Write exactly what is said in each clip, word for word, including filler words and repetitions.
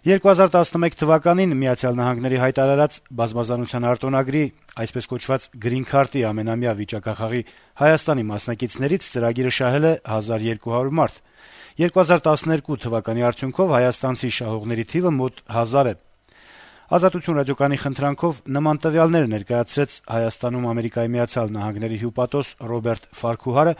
երկու հազար տասնմեկ թվականին Միացյալ Նահանգների հայտարարած բազմազանության արտոնագրի, այսպես կոչված Green Card-ի ամենամյա վիճակախաղի Հայաստանի մասնակիցներից ծրագիրը շահել է հազար երկու հարյուր մարդ։ երկու հազար տասներկու թվականի արդյունքով հայաստանցի շահողների թիվը մոտ հազար է։ Ազատություն ռադիոկայանի խնդրանքով նման տվյալներ ներկայացրեց Հայաստանում Ամերիկայի Միացյալ Նահանգների հյուպատոս Ռոբերտ Ֆարքուհարը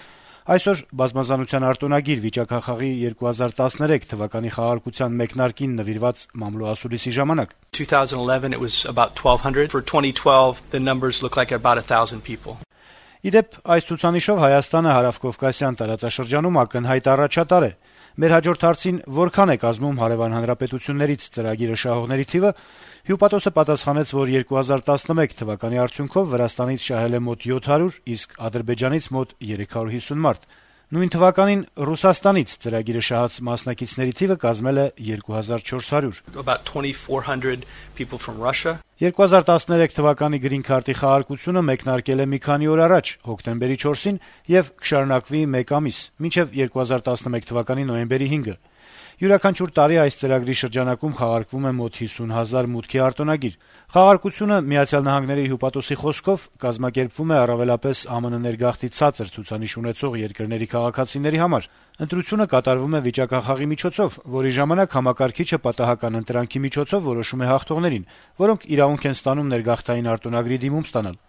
այսօր բազմազանության արտոնագիր վիճակախաղի երկու հազար տասներեք թվականի խաղարկության մեկնարկին նվիրված մամլոասուլիսի ժամանակ. twenty eleven it was about twelve hundred. For twenty twelve the numbers look like about one thousand people. Իդեպ այս ցուցանիշով Հայաստանը հարավկովկասյան տարածաշրջանում ակնհայտ առաջատար է։ Մեր հաջորդ հարցին որքան է կազմում հարևան հանրապետություններից ծրագիրը շահողների թիվը, հյուպատոսը պատասխանեց, որ երկու հազար տասնմեկ թվականի արդյունքով Վրաստանից շահել է մոտ յոթ հարյուր, իսկ Ադրբեջանից մոտ երեք հարյուր հիսուն մարդ։ Նույն թվականին Ռուսաստանից ծրագիրը շահած մասնակիցների թիվը կազմել է երկու հազար չորս հարյուր։ About twenty-four hundred people from Russia. երկու հազար տասներեք թվականի Green Card-ի խաղարկությունը մեկնարկել է մի քանի օր առաջ, հոկտեմբերի չորսին, եւ կշարունակվի մեկ ամիս, մինչեւ երկու հազար տասնմեկ թվականի նոյեմբերի հինգը։ Յուրաքանչյուր տարի այս ծրագրի շրջանակում խաղարկվում է մոտ հիսուն հազար մուտքի արտոնագիր։ Խաղարկությունը Միացյալ Նահանգների հյուպատոսի խոսքով կազմակերպվում է առավելապես ԱՄՆ ներգաղթի ցածր ցուցանիշ ունեցող երկրների քաղաքացիների համար։ Ընտրությունը կատարվում է վիճակախաղի միջոցով, որի ժամանակ համակարգիչը պատահական ընտրանքի միջոցով որոշում է հաղթողներին, որոնք իրավունք են ստանում ներգաղթային արտոնագրի դիմում ստանալ։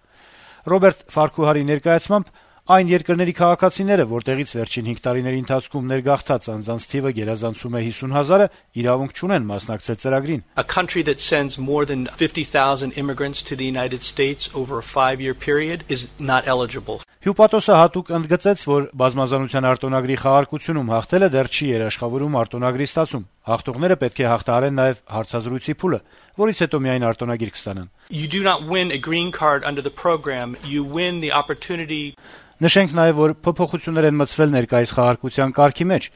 Ռոբերտ Ֆարքուհարի ներկայացմամբ այն երկրների քաղաքացիները, որտեղից վերջին հինգ տարիների ընթացքում ներգաղթած անձանց թիվը գերազանցում է հիսուն հազարը, իրավունք չունեն մասնակցել ծրագրին։ A country that sends more than fifty thousand immigrants to the United States over a five-year period is not eligible. Հյուպատոսը հատուկ ընդգծեց, որ բազմազանության արտոնագրի խաղարկությունում հաղթելը դեռ չի երաշխավորում արտոնագրի ստացում։ Հաղթողները պետք է հաղթահարեն նաև հարցազրույցի փուլը, որից հետո միայն արտոնագիր կստանան։ You do not win a green card under the program, you win the opportunity. Նշենք նաև, որ փոփոխություններ են մտցվել ներկայիս խաղարկության կարգի մեջ։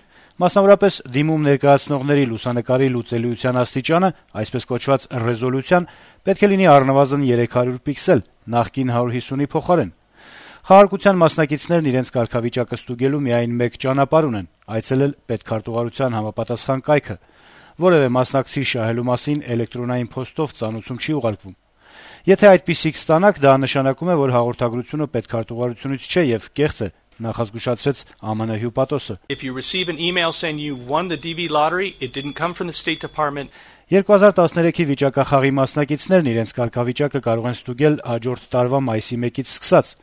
Մասնավորապես դիմում ներկայացնողների լուսանկարի լուծելիության աստիճանը, այսպես կոչված ռեզոլյուցիան, պետք է լինի առնվազն երեք հարյուր պիքսել, նախկին հարյուր հիսունի փոխարեն։ Խաղարկության մասնակիցներն իրենց կարգավիճակը ստուգելու միայն մեկ ճանապարհ ունեն՝ այցելել պետքարտուղարության համապատասխան կայքը։ Որևէ մասնակցի շահելու մասին էլեկտրոնային փոստով ծանուցում չի ուղարկվում։ Եթե այդպիսիք ստանաք, դա նշանակում է, որ հաղորդագրությունը պետքարտուղարությունից չէ եւ կեղծ է, նախազգուշացրեց ԱՄՆ հյուպատոսը։ If you receive an email saying you won the D V lottery, it didn't come from the State Department. երկու հազար տասներեքի վիճակախաղի մասնակիցներն իրենց կարգավիճակը կարող են ստուգել հաջորդ տարվա մայիսի մեկից սկսած։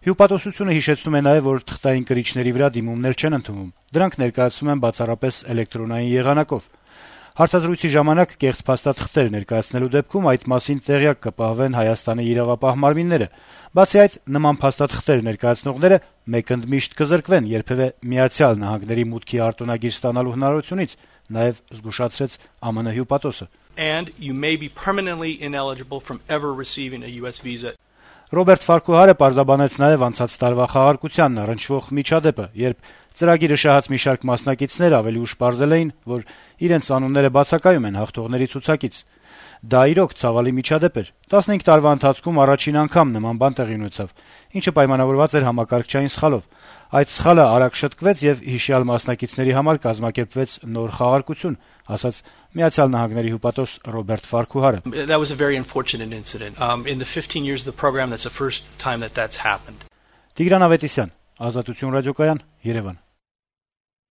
Հյուպատոսությունը հիշեցնում է նաև, որ թղթային կրիչների վրա դիմումներ չեն ընդունվում։ Դրանք ներկայացվում են բացառապես էլեկտրոնային եղանակով։ Հարցազրույցի ժամանակ կեղծ փաստաթղթեր ներկայացնելու դեպքում այդ մասին տեղյակ կպահվեն Հայաստանի իրավապահ մարմինները։ Բացի այդ, նման փաստաթղթեր ներկայացնողները մեկընդմիշտ կզրկվեն երբևէ Միացյալ Նահանգների մուտքի արտոնագիր ստանալու հնարավորությունից, նաև զգուշացրեց ԱՄՆ հյուպատոսը։ And you may be permanently ineligible from ever receiving a U S visa. Ռոբերտ Ֆարքուհարը պարզաբանեց նաև անցած տարվա խաղարկությանն առնչվող միջադեպը, երբ ծրագիրը շահած մի շարք մասնակիցներ ավելի ուշ պարզել էին, որ իրենց անունները բացակայում են հաղթողների ցուցակից։ Դա իրոք ցավալի միջադեպ էր։ տասնհինգ տարվա ընթացքում առաջին անգամ նման բան տեղի ունեցավ, ինչը պայմանավորված էր համակարգչային սխալով։ Այդ սխալը արագ շտկվեց եւ հիշյալ մասնակիցների համար կազմակերպվեց նոր խաղարկություն, ասաց Միացյալ Նահանգների հյուպատոս Ռոբերտ Ֆարքուհարը։ That was a very unfortunate incident. Um, in the fifteen years of the program, that's the first time that that's happened. Տիգրան Ավետիսյան, Ազատություն ռադիոկայան, Երևան։